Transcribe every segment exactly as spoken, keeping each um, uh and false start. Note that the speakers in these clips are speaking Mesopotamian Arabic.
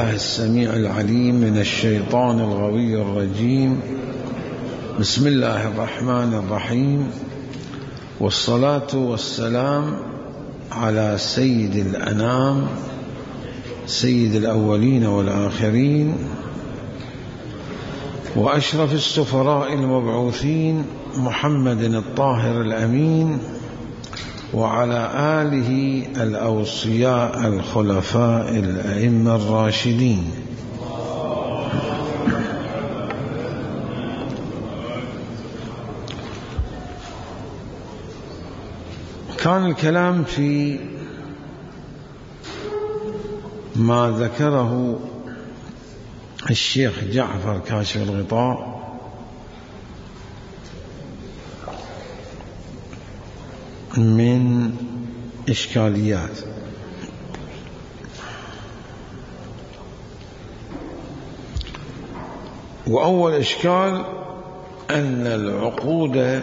الله السميع العليم من الشيطان الغوي الرجيم. بسم الله الرحمن الرحيم، والصلاة والسلام على سيد الأنام سيد الأولين والآخرين وأشرف السفراء المبعوثين محمد الطاهر الأمين، وعلى آله الأوصياء الخلفاء الأئمة الراشدين. كان الكلام في ما ذكره الشيخ جعفر كاشف الغطاء من إشكاليات. وأول إشكال أن العقود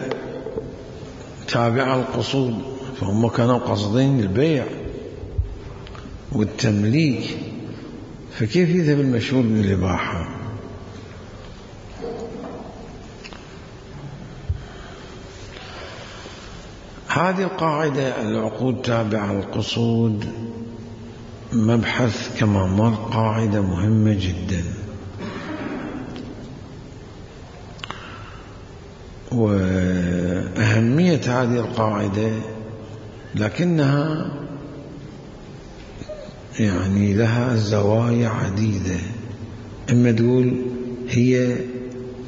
تابعة القصود، فهم كانوا قصدين البيع والتمليك، فكيف يذهب المشهور بالإباحة؟ هذه القاعدة العقود تابعة القصود مبحث كما مر، قاعدة مهمة جدا، وأهمية هذه القاعدة لكنها يعني لها زوايا عديدة. إما تقول هي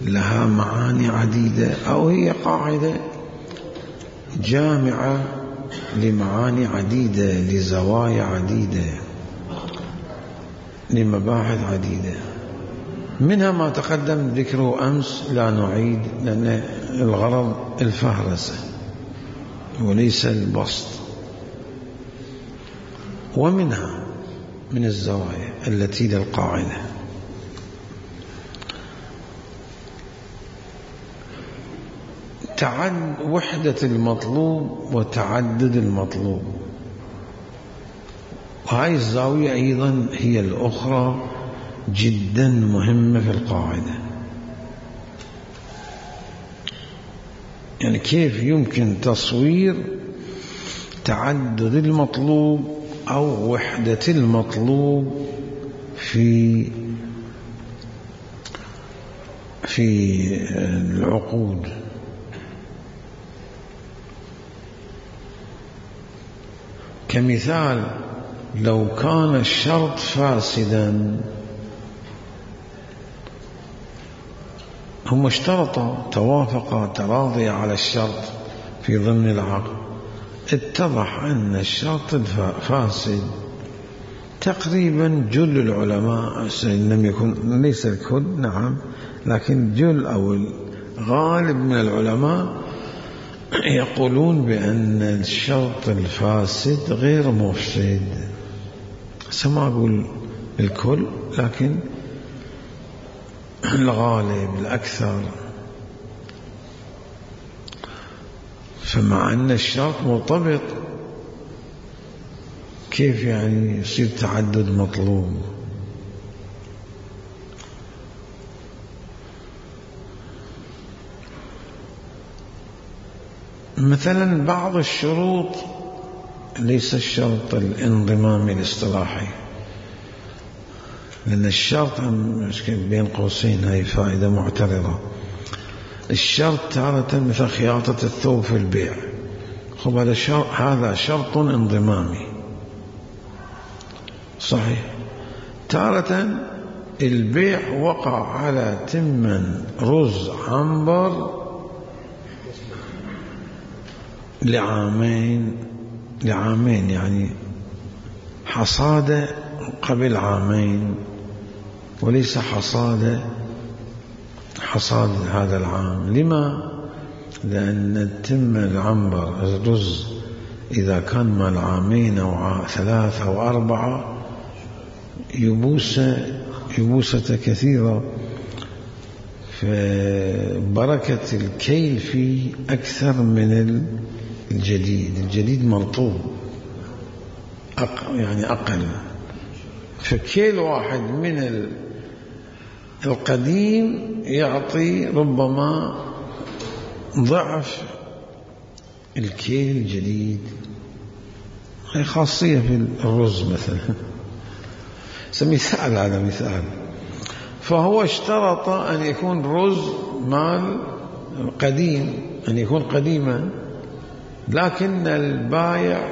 لها معاني عديدة، أو هي قاعدة جامعة لمعاني عديدة، لزوايا عديدة، لمباحث عديدة. منها ما تقدم ذكره أمس، لا نعيد، لأن الغرض الفهرسة وليس البسط. ومنها من الزوايا التي للقاعدة تعد وحدة المطلوب وتعدد المطلوب، وهذه الزاوية أيضا هي الأخرى جدا مهمة في القاعدة. يعني كيف يمكن تصوير تعدد المطلوب أو وحدة المطلوب في في العقود. كمثال، لو كان الشرط فاسدا، هم اشترطا توافقا تراضيا على الشرط في ضمن العقد، اتضح أن الشرط فاسد. تقريبا جل العلماء، لم يكن ليس الكل نعم، لكن جل أو الغالب من العلماء يقولون بأن الشرط الفاسد غير مفسد. سما أقول الكل، لكن الغالب الأكثر. فمع أن الشرط مرتبط، كيف يعني يصير تعدد مطلوب؟ مثلا بعض الشروط ليس الشرط الانضمامي الاصطلاحي، لأن الشرط بين قوسين هاي فائدة معترضة. الشرط تارة مثل خياطة الثوب في البيع، خب هذا شرط، هذا شرط انضمامي صحيح. تارة البيع وقع على تمن رز عنبر لعامين لعامين يعني حصادة قبل عامين، وليس حصادة حصاد هذا العام. لما؟ لأن التم العنبر الرز إذا كان مال عامين أو ثلاثة أو أربعة يبوسة يبوسة كثيرة، فبركة الكيل فيه أكثر من الجديد. الجديد مرطوب أق يعني أقل، فكيل واحد من القديم يعطي ربما ضعف الكيل الجديد. هي خاصية في الرز مثلا. مثال هذا مثال. فهو اشترط أن يكون رز مال قديم، أن يكون قديما، لكن البائع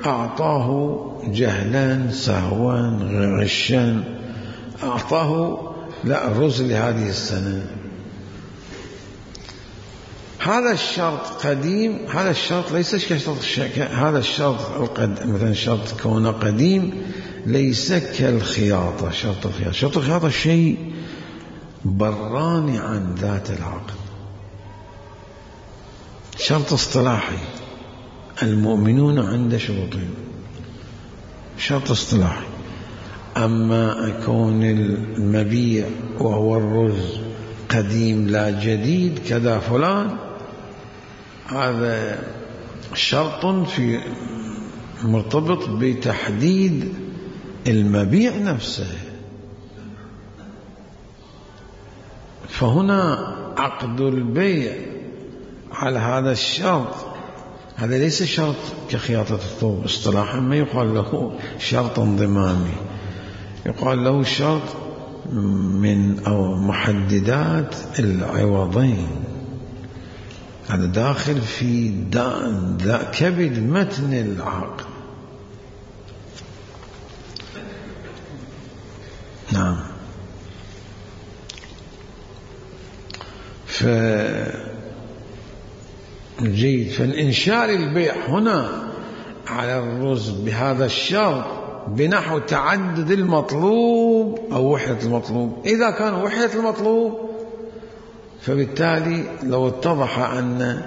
أعطاه جهلا سهوا غشا، أعطاه لا الرز لهذه السنة. هذا الشرط قديم، هذا الشرط ليس كشرط هذا الشرط مثلا شرط كونه قديم ليس كالخياطة. شرط الخياطة شرط الخياطة شيء براني عن ذات العقد، شرط اصطلاحي. المؤمنون عند شروطهم، شرط اصطلاحي. أما أكون المبيع وهو الرز قديم لا جديد كذا فلان، هذا شرط في مرتبط بتحديد المبيع نفسه. فهنا عقد البيع على هذا الشرط، هذا ليس شرط كخياطة الثوب اصطلاحا، ما يقال له شرط انضمامي، يقال له شرط من أو محددات العوضين. هذا داخل في دا دا كبد متن العقد. نعم. ف جيد. فالإنشاء للبيع هنا على الرز بهذا الشرط بنحو تعدد المطلوب أو وحدة المطلوب. إذا كان وحدة المطلوب فبالتالي لو اتضح أن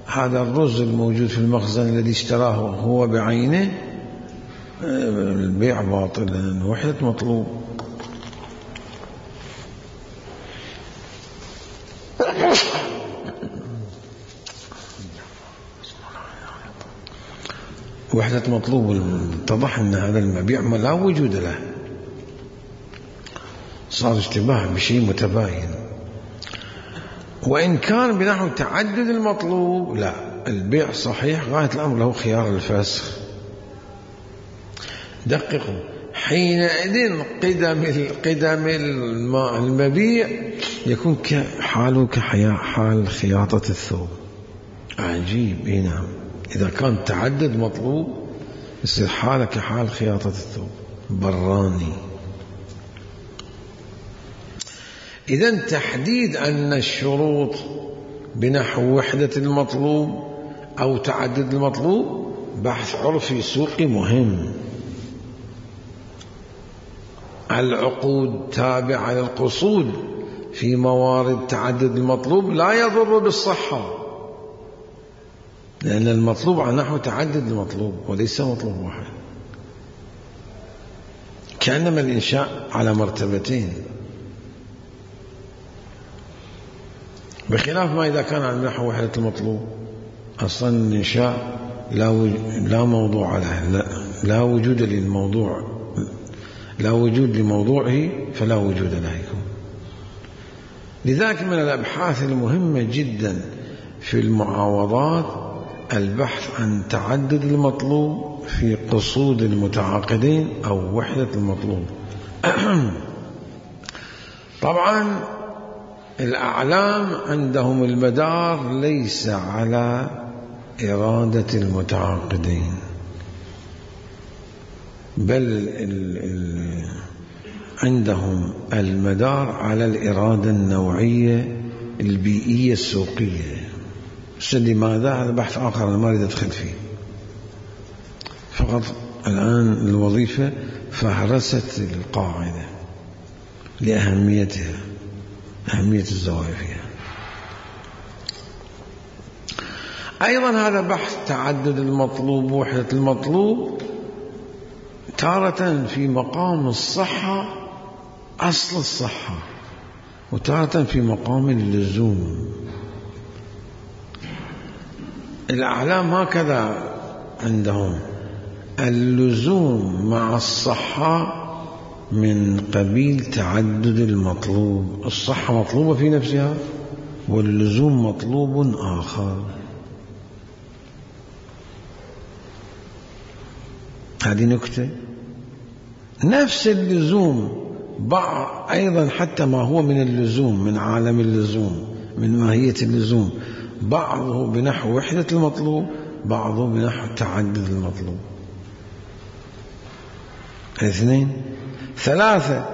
هذا الرز الموجود في المخزن الذي اشتراه هو بعينه، البيع باطل لأنه وحدة مطلوب. وحدة مطلوب اتضح أن هذا المبيع لا وجود له، صار اشتباه بشيء متباين. وإن كان بنحو تعدد المطلوب لا، البيع صحيح غاية الأمر له خيار الفسخ. دققوا، حينئذ قدم قدم المبيع يكون كحاله كحال خياطة الثوب. عجيب. إيه نعم، إذا كان تعدد مطلوب يصير حاله كحال خياطة الثوب، براني. إذن تحديد أن الشروط بنحو وحدة المطلوب أو تعدد المطلوب بحث عرفي سوقي مهم. العقود تابعة للقصود في موارد تعدد المطلوب لا يضر بالصحة، لأن المطلوب على نحو تعدد المطلوب وليس مطلوب واحد، كأنما الإنشاء على مرتبتين، بخلاف ما إذا كان على نحو وحدة المطلوب. أصلا الإنشاء لا لا موضوع له، لا, لا وجود للموضوع، لا وجود لموضوعه فلا وجود له يكون. لذلك من الأبحاث المهمة جدا في المعاوضات البحث عن تعدد المطلوب في قصود المتعاقدين أو وحدة المطلوب. طبعا الأعلام عندهم المدار ليس على إرادة المتعاقدين، بل ال ال عندهم المدار على الإرادة النوعية البيئية السوقية. لماذا؟ هذا بحث آخر أنا ما أريد أدخل فيه، فقط الآن الوظيفة فهرست القاعدة لأهميتها، أهمية الزوايا فيها. أيضا هذا بحث تعدد المطلوب ووحدة المطلوب تارة في مقام الصحة، أصل الصحة، وتارة في مقام اللزوم. الأعلام هكذا عندهم، اللزوم مع الصحة من قبيل تعدد المطلوب. الصحة مطلوبة في نفسها واللزوم مطلوب آخر. هذه نكتة. نفس اللزوم بعض أيضا حتى ما هو من اللزوم من عالم اللزوم من ماهية اللزوم بعضه بنحو وحدة المطلوب بعضه بنحو تعدد المطلوب. اثنين. ثلاثة.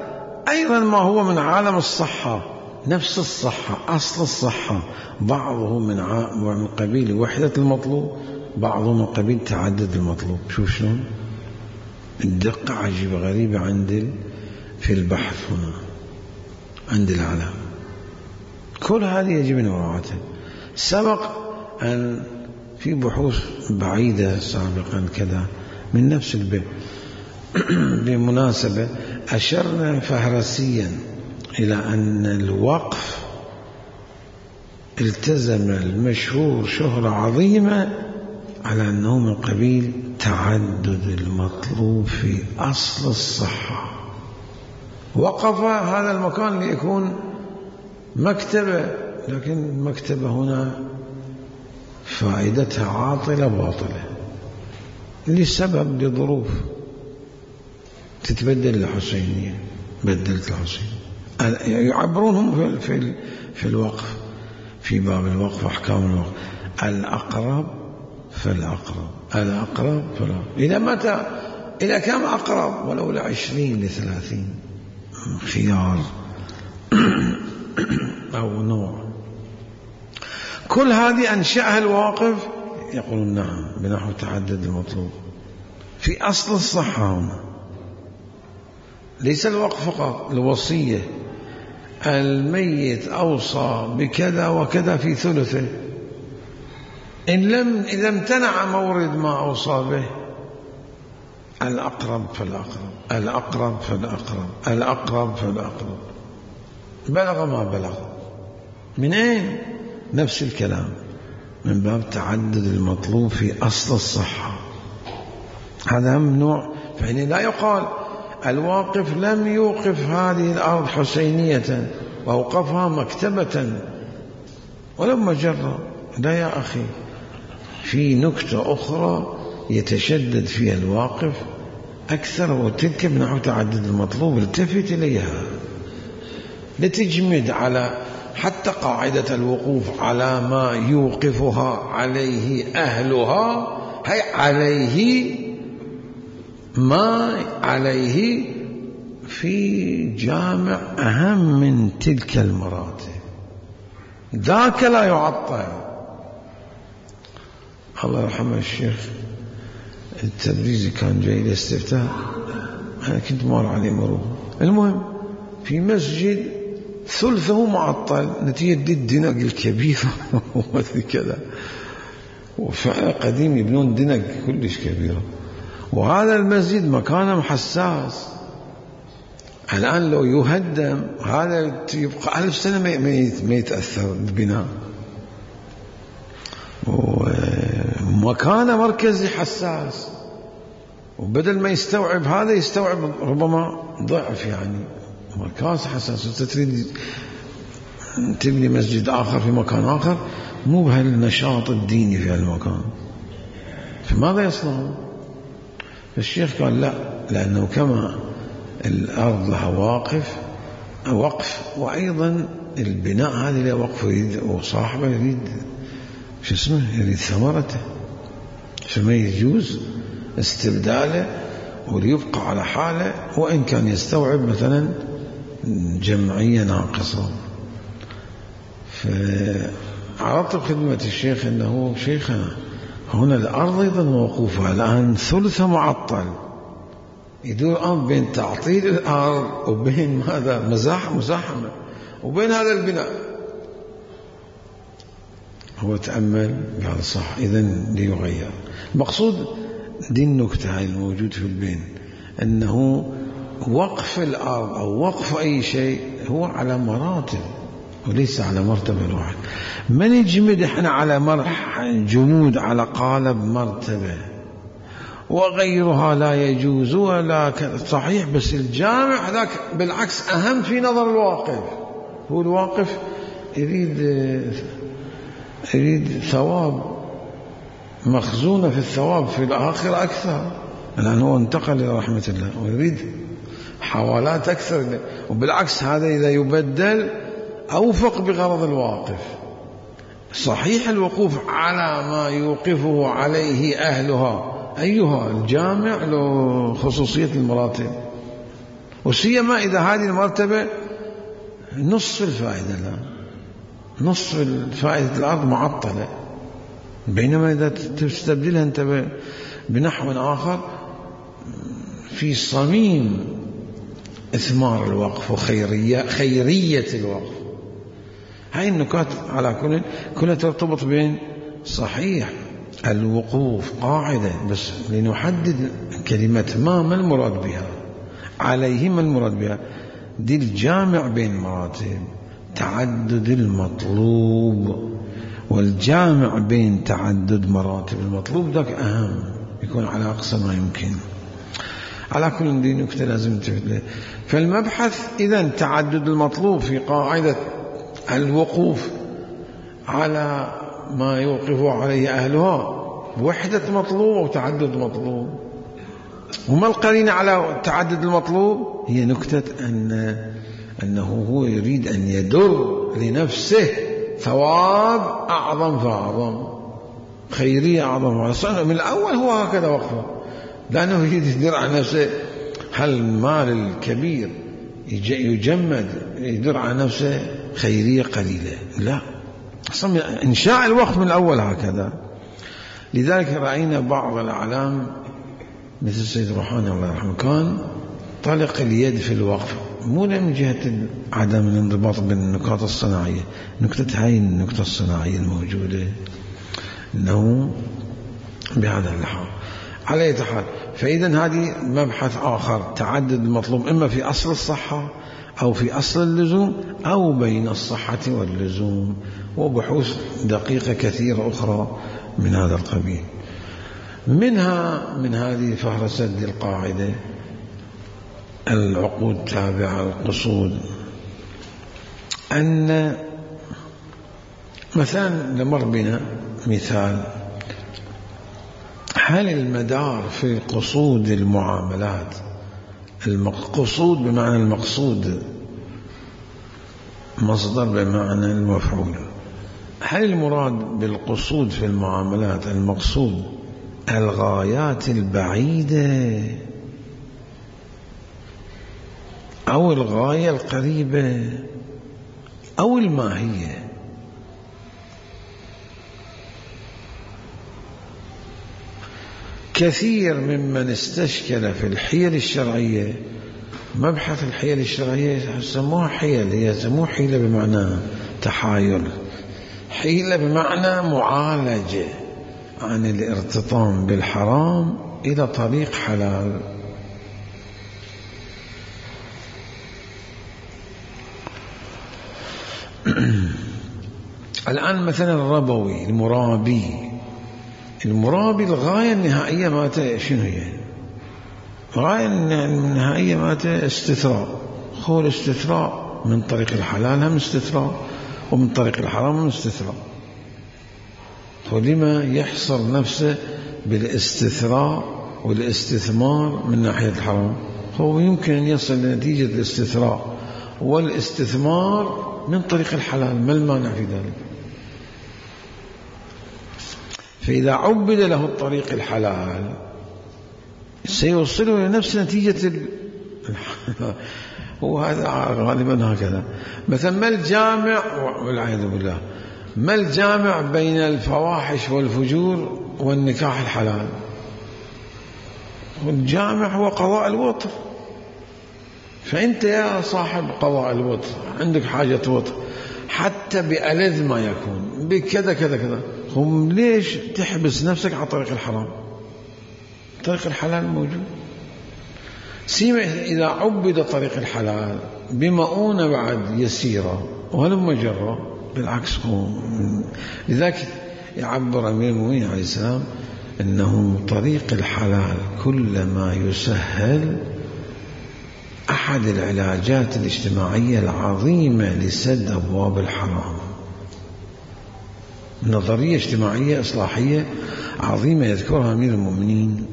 أيضا ما هو من عالم الصحة نفس الصحة أصل الصحة بعضه من, ع... من قبيل وحدة المطلوب بعضه من قبيل تعدد المطلوب. شوف شلون الدقة عجيبة غريبة عند في البحث هنا عند العلم. كل هذه يجب مراعاتها. سبق أن في بحوث بعيدة سابقا كذا من نفس البيت بمناسبة أشرنا فهرسيا إلى أن الوقف التزم المشهور شهرة عظيمة على أنه من قبيل تعدد المطلوب في أصل الصحة. وقف هذا المكان ليكون مكتبة لكن المكتبة هنا فائدتها عاطلة باطلة لسبب لظروف تتبدل الحسينية بدلت الحسين يعبرونهم في في الوقف في باب الوقف أحكام الوقف الأقرب فالأقرب الأقرب فالأقرب إلى متى إلى كم أقرب ولو لعشرين لثلاثين خيار أو نوع. كل هذه أنشأها الواقف يقولون نعم بنحو تعدد المطلوب في أصل الصحة هنا. ليس الوقف فقط الوصية الميت أوصى بكذا وكذا في ثلثه إن لم إذا امتنع مورد ما أوصى به الأقرب فالأقرب الأقرب فالأقرب الأقرب فالأقرب بلغ ما بلغ. من أين؟ نفس الكلام من باب تعدد المطلوب في أصل الصحة. هذا ممنوع. فإن لا يقال الواقف لم يوقف هذه الأرض حسينية وأوقفها مكتبة ولو مجرة. لا يا أخي في نكتة أخرى يتشدد فيها الواقف أكثر وتلك بنحو تعدد المطلوب. التفت إليها لتجمد على حتى قاعدة الوقوف على ما يوقفها عليه أهلها هي عليه ما عليه في جامع أهم من تلك المراتب ذاك لا يعطل. الله يرحمه الشيخ التبريزي كان جاي لاستفتاء أنا كنت مار عليه مرور. المهم في مسجد ثلثه معطل نتيجة الدنق الكبير ومثل كذا وفعلا قديم يبنون دنق كلش كبيرة وهذا المسجد مكانه حساس. الآن لو يهدم هذا يبقى ألف سنة ما يتأثر البناء ومكانه مركزي حساس وبدل ما يستوعب هذا يستوعب ربما ضعف يعني مركز حساس. تريد تبني مسجد آخر في مكان آخر مو بهالنشاط الديني في هالمكان فماذا يصنعون؟ الشيخ قال لا لأنه كما الأرض لها واقف وقف وأيضا البناء هذه له وقف يريد وصاحبه يريد شو اسمه يريد ثمرته فما يجوز استبداله وليبقى على حاله وإن كان يستوعب مثلا جمعية ناقصة. فعرضت خدمة الشيخ أنه شيخنا هنا الأرض أيضا موقوفة الآن ثلث معطل يدور الآن بين تعطيل الأرض وبين ماذا مزاح مزاحمة وبين هذا البناء. هو تأمل قال صح إذن ليغير. مقصود دي النكتة هاي الموجود في البين أنه وقف الأرض أو وقف أي شيء هو على مراتب وليس على مرتبة واحدة. ما نجمد احنا على مرح جمود على قالب مرتبة وغيرها لا يجوز ولا صحيح. بس الجامع هذاك بالعكس أهم في نظر الواقف. هو الواقف يريد يريد ثواب، مخزونة في الثواب في الآخرة أكثر، لأنه هو انتقل إلى رحمة الله ويريد حوالات أكثر. وبالعكس هذا إذا يبدل أوفق بغرض الواقف. صحيح الوقوف على ما يوقفه عليه أهلها، أيها الجامع له خصوصية المراتب، وسيما إذا هذه المرتبة نصف الفائدة، لا نصف الفائدة الأرض معطلة، بينما إذا تستبدلها أنت بنحو آخر في صميم إثمار الوقف وخيرية خيرية الوقف. هاي النكات على كل كلها ترتبط بين صحيح الوقوف قاعدة، بس لنحدد كلمة ما ما المراد بها، عليه ما المراد بها. دي الجامع بين مراتب تعدد المطلوب، والجامع بين تعدد مراتب المطلوب ذاك أهم، يكون على أقصى ما يمكن. على كل دي نكتة لازم تفهم. فالمبحث إذن تعدد المطلوب في قاعدة الوقوف على ما يوقف عليه أهلها، وحدة مطلوب وتعدد مطلوب. وما القرينة على تعدد المطلوب؟ هي نكتة أن أنه هو يريد أن يدر لنفسه ثواب أعظم فأعظم، خيرية أعظم فأعظم. من الأول هو هكذا وقفه، لأنه يريد يدر على نفسه. هل المال الكبير يجمد يدر على نفسه خيرية قليلة؟ لا، أصلا إنشاء الوقف من الأول هكذا. لذلك رأينا بعض الأعلام مثل السيد روحاني الله يرحمه كان طلق اليد في الوقف، مو من جهة عدم الانضباط بالنقاط الصناعية، نكتة هاي النقطة الصناعية الموجودة أنه بهذا اللحاظ. على أي حال، فإذا هذه مبحث آخر، تعدد المطلوب إما في أصل الصحة أو في أصل اللزوم أو بين الصحة واللزوم، وبحوث دقيقة كثيرة أخرى من هذا القبيل. منها من هذه فهرسة القاعدة العقود تابعة القصود، أن مثلا نمر بنا مثال، هل المدار في قصود المعاملات، القصود بمعنى المقصود، مصدر بمعنى المفعول، هل المراد بالقصود في المعاملات المقصود الغايات البعيدة أو الغاية القريبة أو الماهية؟ كثير ممن استشكل في الحيل الشرعية، مبحث الحيل الشرعية سموها حيل، هي سموها حيلة بمعنى تحايل، حيلة بمعنى معالجة عن الارتطام بالحرام إلى طريق حلال. الآن مثلا الربوي المرابي، المرابي الغاية النهائية مالته شنو هي؟ الغاية النهائية مالته استثراء، هو الاستثراء من طريق الحلال هم استثراء، ومن طريق الحرام هم استثراء. ولما يحصر نفسه بالاستثراء والاستثمار من ناحية الحرام؟ هو يمكن أن يصل لنتيجة الاستثراء والاستثمار من طريق الحلال، ما المانع في ذلك؟ فإذا عبد له الطريق الحلال سيوصله لنفس نتيجة ال... وهذا غالبا هكذا. مثلا ما الجامع، والعياذ بالله، ما الجامع بين الفواحش والفجور والنكاح الحلال؟ والجامع هو قضاء الوطر. فأنت يا صاحب قضاء الوطر عندك حاجة وطر حتى بألذ ما يكون بكذا كذا كذا، هم ليش تحبس نفسك على طريق الحرام؟ طريق الحلال موجود. سيما إذا عبد طريق الحلال بمؤونة بعد يسيرة ولم مجرة، بالعكس هو. لذلك يعبر أمير المؤمنين عليه السلام أنه طريق الحلال كلما يسهل أحد العلاجات الاجتماعية العظيمة لسد أبواب الحرام. نظرية اجتماعية إصلاحية عظيمة يذكرها أمير المؤمنين،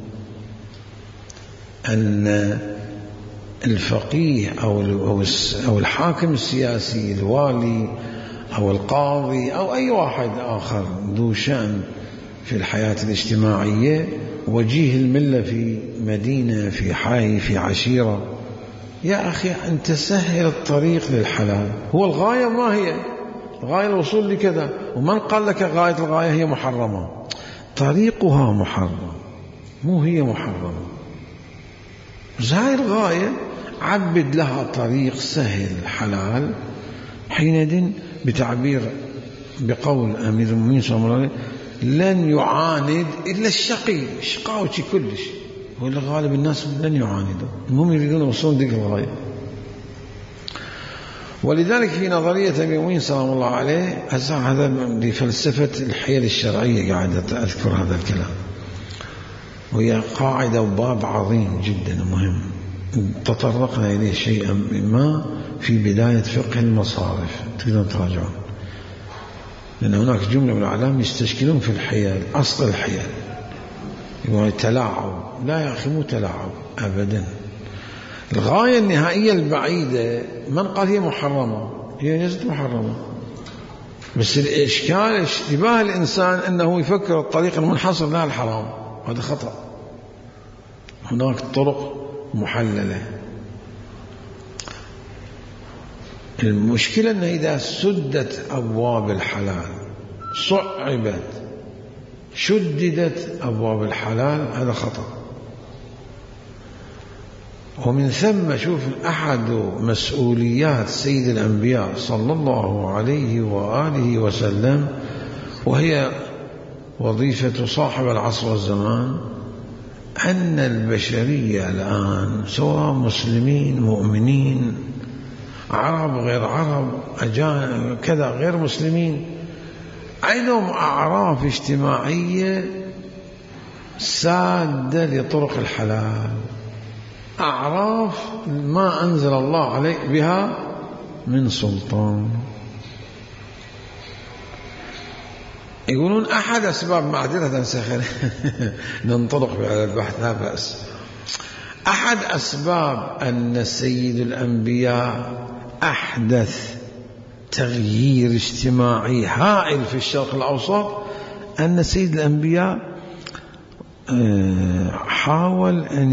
أن الفقيه أو الحاكم السياسي، الوالي أو القاضي أو أي واحد آخر ذو شأن في الحياة الاجتماعية، وجيه الملة في مدينة، في حي، في عشيرة، يا أخي أنت سهل الطريق للحلال. هو الغاية ما هي؟ الغاية الوصول لكذا، ومن قال لك غاية الغاية هي محرمة؟ طريقها محرم، مو هي محرمة. بس هاي الغاية عبد لها طريق سهل حلال، حينئذ بتعبير بقول أمير المؤمنين صلى الله عليه وسلم لن يعاند إلا الشقي، شقاوتي كلش، ولا غالب الناس لن يعاندوا، هم يريدون يوصلون ذيك الغاية. ولذلك في نظرية أمير المؤمنين صلى الله عليه وسلم، هذا لفلسفة الحيل الشرعية قاعدة أذكر هذا الكلام، وهي قاعدة وباب عظيم جدا مهم تطرقنا إليه شيئا ما في بداية فقه المصارف، تقدرون تراجعون، لأن هناك جملة من العلام يستشكلون في الحيل، أصل الحيل يقولون تلاعب. لا يا أخي، مو تلاعب أبدا. الغاية النهائية البعيدة من قال هي محرمة؟ هي ليست محرمة، بس الإشكال اشتباه الإنسان أنه يفكر الطريق المنحصر لها الحرام، هذا خطأ. هناك طرق محللة. المشكلة أنه إذا سدت أبواب الحلال، صعبت، شددت أبواب الحلال، هذا خطأ. ومن ثم شوف أحد مسؤوليات سيد الأنبياء صلى الله عليه وآله وسلم، وهي وظيفة صاحب العصر والزمان، أن البشرية الآن سواء مسلمين مؤمنين، عرب غير عرب، أجانب كذا غير مسلمين، عندهم أعراف اجتماعية سادة لطرق الحلال، أعراف ما أنزل الله عليه بها من سلطان. يقولون أحد أسباب، معذرة سخر ننطلق على البحث لا بأس، أحد أسباب أن سيد الأنبياء أحدث تغيير اجتماعي هائل في الشرق الأوسط، أن سيد الأنبياء حاول أن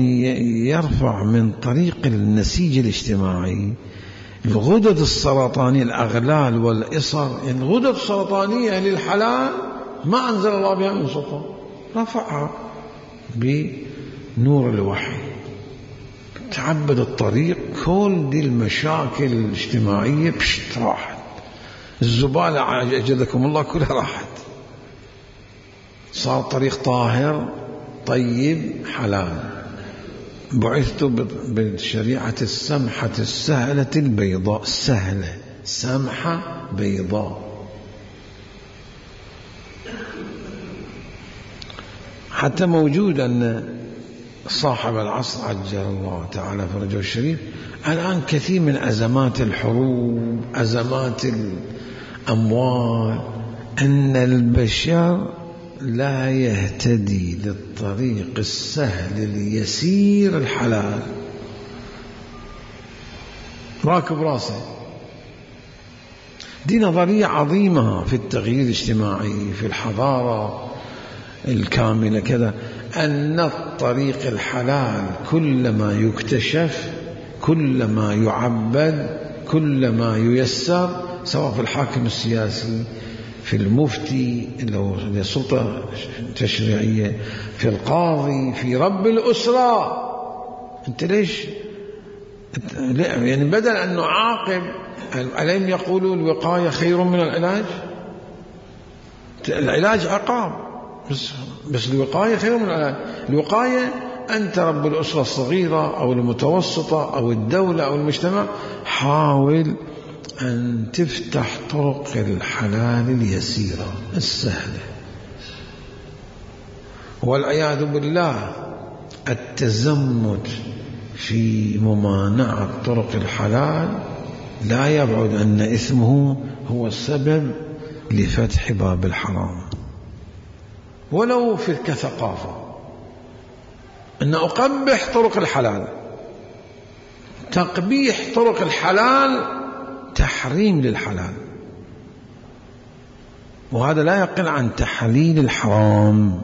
يرفع من طريق النسيج الاجتماعي الغدد السرطانية، الأغلال والإصر، الغدد السرطانية للحلال ما أنزل الله بها من سلطان، رفعها بنور الوحي، تعبد الطريق، كل دي المشاكل الاجتماعية بشت راحت، الزبالة أجدكم الله كلها راحت، صار طريق طاهر طيب حلال. بعثت بالشريعة السمحة السهلة البيضاء، سهلة سمحة بيضاء. حتى موجود أن صاحب العصر عجل الله تعالى فرجه الشريف الآن كثير من أزمات الحروب، أزمات الأموال، أن البشر لا يهتدي للطريق السهل اليسير الحلال، راكب راسه. دي نظرية عظيمة في التغيير الاجتماعي، في الحضارة الكاملة كذا، أن الطريق الحلال كلما يكتشف، كلما يعبد، كلما ييسر، سواء في الحاكم السياسي، في المفتي لو السلطة التشريعية، في القاضي، في رب الأسرة. أنت ليش يعني بدل أن نعاقب، ألم يقولوا الوقاية خير من العلاج؟ العلاج عقاب، بس, بس الوقاية خير من العلاج. الوقاية أنت رب الأسرة الصغيرة أو المتوسطة أو الدولة أو المجتمع، حاول أن تفتح طرق الحلال اليسيرة السهلة، والعياذ بالله التزمت في ممانعة طرق الحلال لا يبعد أن إثمه هو السبب لفتح باب الحرام، ولو في كثقافة، أن أقبح طرق الحلال. تقبيح طرق الحلال تحريم للحلال، وهذا لا يقل عن تحليل الحرام.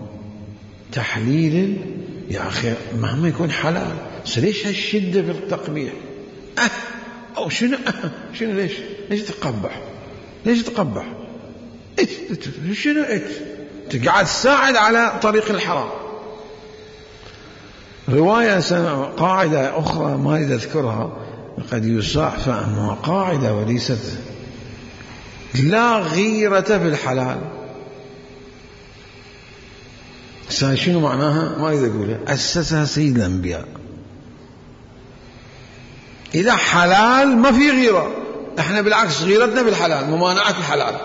تحليل يا أخي مهما يكون حلال، ليش هالشدة في التقبيح؟ أه أو شنو أه شنو ليش ليش تقبح؟ ليش تقبح؟ إيش شنو إيش؟ تقعد تساعد على طريق الحرام. رواية سنة قاعدة أخرى ما أريد أذكرها، قد يصاع فهمها، قاعدة وليست لا غيرة في الحلال. شنو معناها؟ ما أريد أقولها، أسسها سيد الأنبياء. إذا حلال ما في غيرة، احنا بالعكس غيرتنا بالحلال، ممانعة الحلال.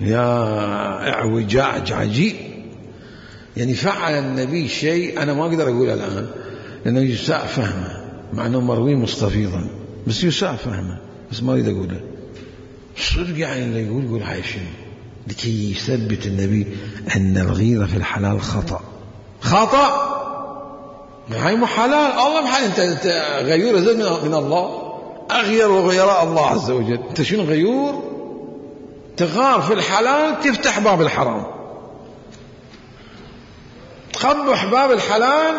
يا اعوجاج عجيب. يعني فعل النبي شيء أنا ما أقدر أقوله الآن لأنه يساء فهمه، مع أنه مروي مستفيضا، بس يساء فهمه، بس ما أريد أقوله. صدق يعني اللي يقول يقول هاي شنو، لكي يثبت النبي أن الغيرة في الحلال خطأ. خطأ هاي مو حلال. الله محل أنت, انت غيور زي من الله، أغير وغيراء الله عز وجل. أنت شنو غيور؟ تغار في الحلال تفتح باب الحرام، تقبح باب الحلال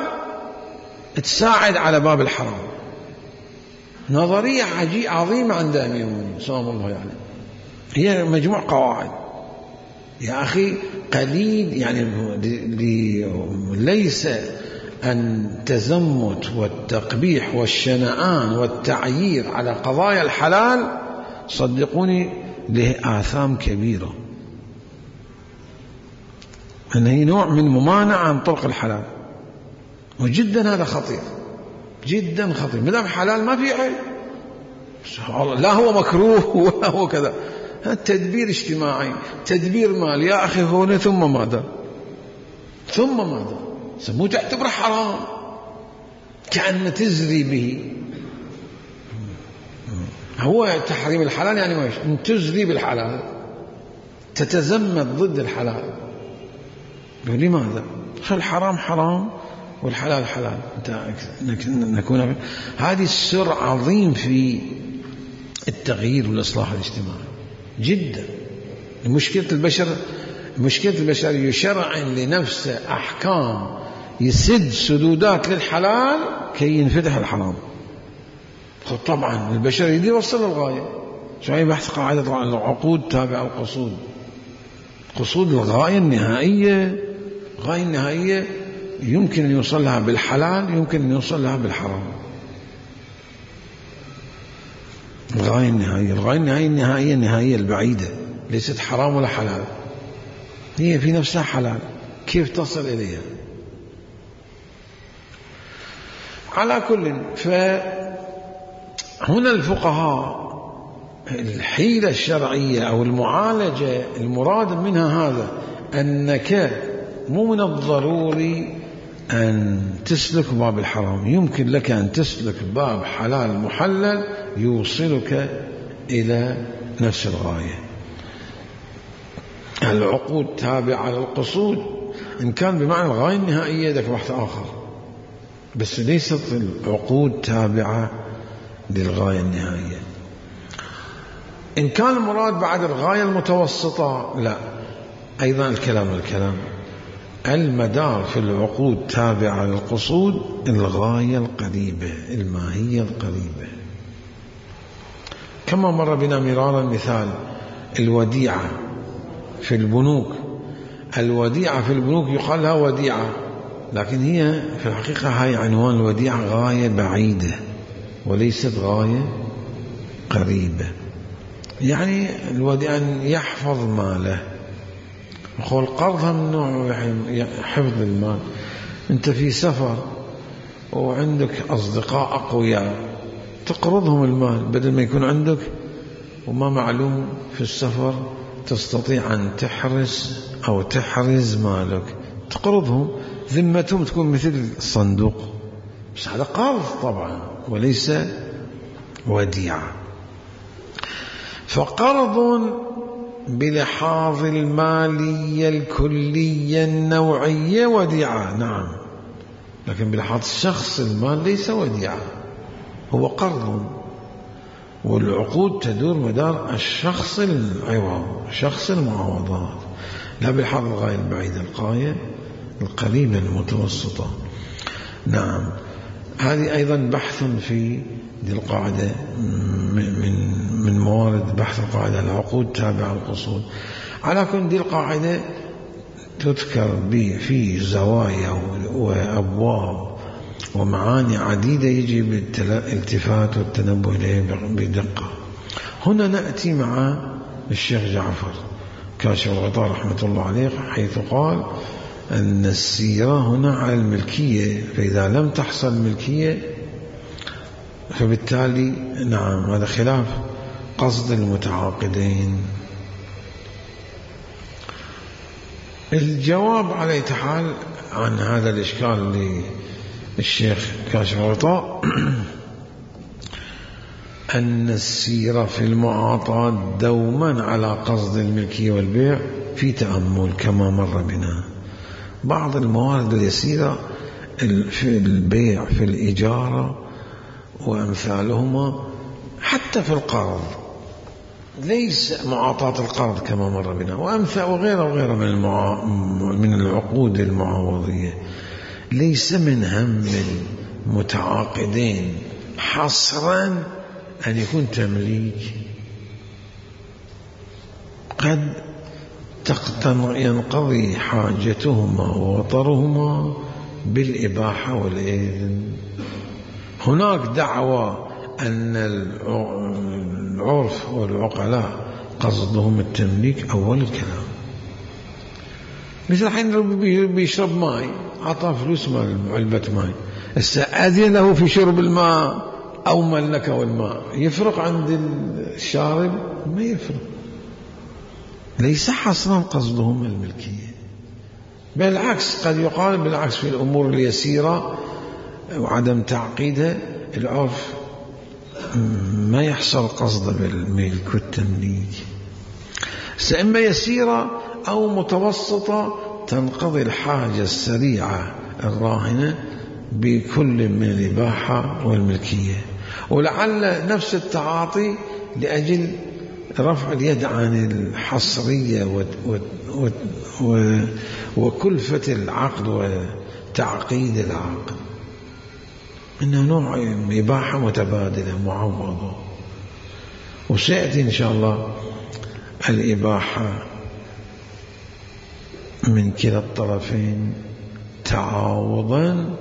تساعد على باب الحرام. نظرية عجيبة عظيمة عند أمير المؤمنين سلام الله عليه، يعني. هي مجموع قواعد يا أخي قليل، يعني ليس أن تزمت والتقبيح والشنآن والتعيير على قضايا الحلال صدقوني له آثام كبيرة، أن هي نوع من ممانعة عن طرق الحلال، وجدا هذا خطير جدا خطير. مدام حلال ما في عيب، لا هو مكروه ولا هو كذا. تدبير اجتماعي، تدبير مال يا أخي هون، ثم ماذا ثم ماذا سموه تعتبره حرام، كأن تزري به. هو تحريم الحلال يعني ما يشوف تزري بالحلال، تتزمت ضد الحلال. لماذا؟ الحرام حرام والحلال حلال. نكون هذه السر عظيم في التغيير والإصلاح الاجتماعي جدا. مشكلة البشر مشكلة البشر يشرع لنفسه أحكام يسد سدودات للحلال كي ينفتح الحرام. طبعا البشر يريد يوصل للغاية. شوية بحث قاعدة طبعا العقود تابع القصود. قصود الغاية النهائية، الغاية النهائية يمكن أن يوصل لها بالحلال، يمكن أن يوصل لها بالحرام. الغاية النهائية الغاية النهائية النهائية النهائية البعيدة ليست حرام ولا حلال، هي في نفسها حلال. كيف تصل إليها؟ على كل، فهنا الفقهاء الحيلة الشرعية أو المعالجة المراد منها هذا، أنك مو من الضروري أن تسلك باب الحرام، يمكن لك أن تسلك باب حلال محلل يوصلك إلى نفس الغاية. العقود تابعة للقصود إن كان بمعنى الغاية النهائية ذاك بحث آخر، بس ليست العقود تابعة للغاية النهائية. إن كان المراد بعد الغاية المتوسطة لا، أيضا الكلام الكلام المدار في العقود تابعة للقصود الغاية القريبة، الماهية القريبة. كما مر بنا مرارا مثال الوديعة في البنوك. الوديعة في البنوك يقال لها وديعة، لكن هي في الحقيقة هاي عنوان الوديعة غاية بعيدة وليست غاية قريبة. يعني الوديعة أن يحفظ ماله. يقول قرضها من نوع حفظ المال. أنت في سفر وعندك أصدقاء أقوياء تقرضهم المال بدل ما يكون عندك وما معلوم في السفر تستطيع أن تحرس أو تحرز مالك، تقرضهم، ذمتهم تكون مثل الصندوق، بس هذا قرض طبعا وليس وديعة. فقرض بلحاظ المالية الكلية النوعية وديعة، نعم، لكن بلحاظ شخص المال ليس وديعة، هو قرض. والعقود تدور مدار الشخص العوض، شخص المعاوضات، لا بلحاظ الغاية البعيدة، الغاية القريبة المتوسطة. نعم، هذه أيضا بحث في دي القاعدة من من موارد بحث القاعدة، العقود تابعة القصود. على كل دي القاعدة تذكر في زوايا وأبواب ومعاني عديدة يجب الالتفات والتنبه إليه بدقة. هنا نأتي مع الشيخ جعفر كاشف الغطاء رحمة الله عليه، حيث قال أن السيرة هنا على الملكية، فإذا لم تحصل ملكية فبالتالي نعم هذا خلاف قصد المتعاقدين. الجواب على أي حال عن هذا الإشكال للشيخ كاشف الغطاء أن السيرة في المعاطاة دوما على قصد الملكية والبيع في تأمل كما مر بنا. بعض الموارد اليسيرة في البيع في الإجارة وأمثالهما، حتى في القرض ليس معاطاة القرض كما مر بنا، وأمثال وغيره وغيره من المعا... من العقود المعوضية، ليس من هم المتعاقدين حصرا أن يكون تمليك، قد ينقضي حاجتهما ووطرهما بالإباحة والإذن. هناك دعوة أن العرف والعقلاء قصدهم التمليك أول الكلام، مثل حين بيشرب ماء، عطى فلوس مال علبة ماء، استأذن له في شرب الماء أو ملكه الماء، يفرق عند الشارب؟ ما يفرق، ليس حصرا قصدهم الملكية، بالعكس قد يقال بالعكس في الأمور اليسيرة وعدم تعقيدها العرف ما يحصل قصد بالملك والتمليك. إما يسيرة أو متوسطة تنقضي الحاجة السريعة الراهنة بكل من الإباحة والملكية، ولعل نفس التعاطي لأجل رفع اليد عن الحصرية و و و و وكلفة العقد وتعقيد العقد، إنه نوع إباحة متبادلة معوضة. وسيأتي إن شاء الله الإباحة من كلا الطرفين تعاوضا،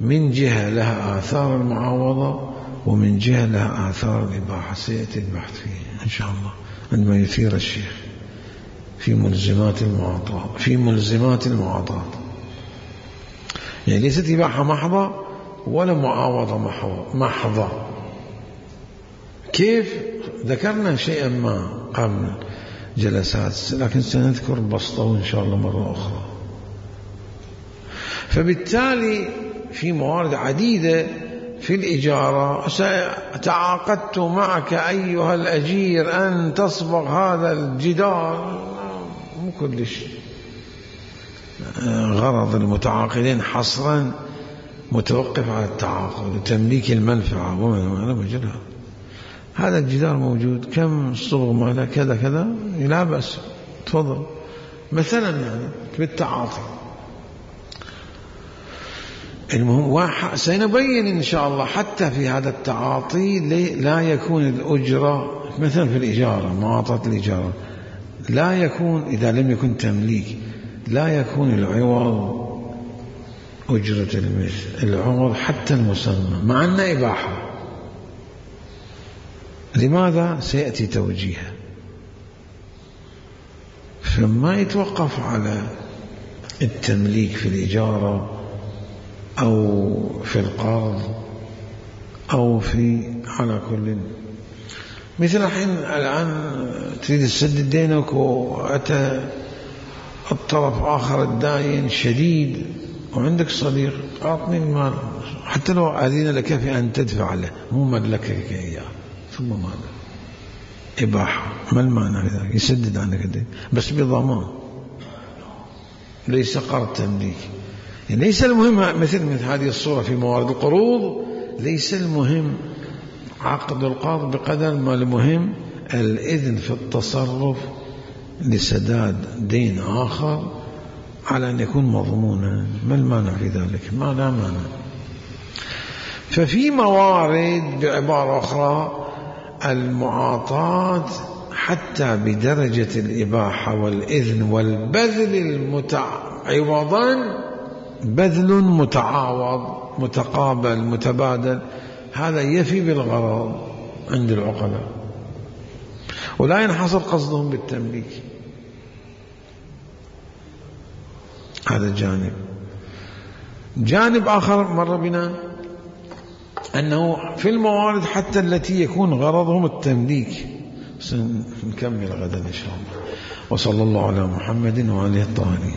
من جهة لها آثار المعاوضة ومن جهة لها آثار الإباحة، سيأتي البحث فيه إن شاء الله عندما يثير الشيخ في ملزمات المعاطاة. في ملزمات المعاطاة يعني ليست إباحة محضة ولا معاوضة محضة. كيف؟ ذكرنا شيئا ما قبل جلسات، لكن سنذكر بسطه إن شاء الله مرة أخرى. فبالتالي في موارد عديدة في الإجارة، تعاقدت معك أيها الأجير أن تصبغ هذا الجدار، مو كلش غرض المتعاقدين حصرا متوقف على التعاقد وتمليك المنفعة وما مجرد. هذا الجدار موجود، كم الصبغ ماله كذا كذا، لا بأس، تفضل مثلا، يعني بالتعاطي. المهم سنبين إن شاء الله حتى في هذا التعاطي لا يكون الأجرة مثلا في الإجارة، معاطاة الإجارة لا يكون، إذا لم يكن تمليك لا يكون العوض أجرة المثل، العوض حتى المسمى مع أن إباحة. لماذا؟ سيأتي توجيهه. فما يتوقف على التمليك في الإجارة أو في القرض أو في، على كل مثل الحين الآن تريد تسدد دينك وأتى الطرف آخر الداين شديد وعندك صديق أعطني المال حتى لو أذن لك في أن تدفع له مو ملكك إياه ثم ماذا؟ إباحة. ما المعنى في ذلك؟ يسدد عنك الدين بس بضمان، ليس قرض تمليك. يعني ليس المهم مثل مثل هذه الصورة في موارد القروض، ليس المهم عقد القرض بقدر ما المهم الإذن في التصرف لسداد دين آخر على أن يكون مضمونا. ما المانع في ذلك؟ ما لا مانع. ففي موارد بعبارة أخرى المعاطاة حتى بدرجة الإباحة والإذن والبذل المتعوضا، بذل متعاوض متقابل متبادل، هذا يفي بالغرض عند العقلاء ولا ينحصر قصدهم بالتمليك. هذا جانب. جانب آخر مر بنا أنه في الموارد حتى التي يكون غرضهم التمليك. سنكمل غدا إن شاء الله. وصلى الله على محمد وآله الطاهرين.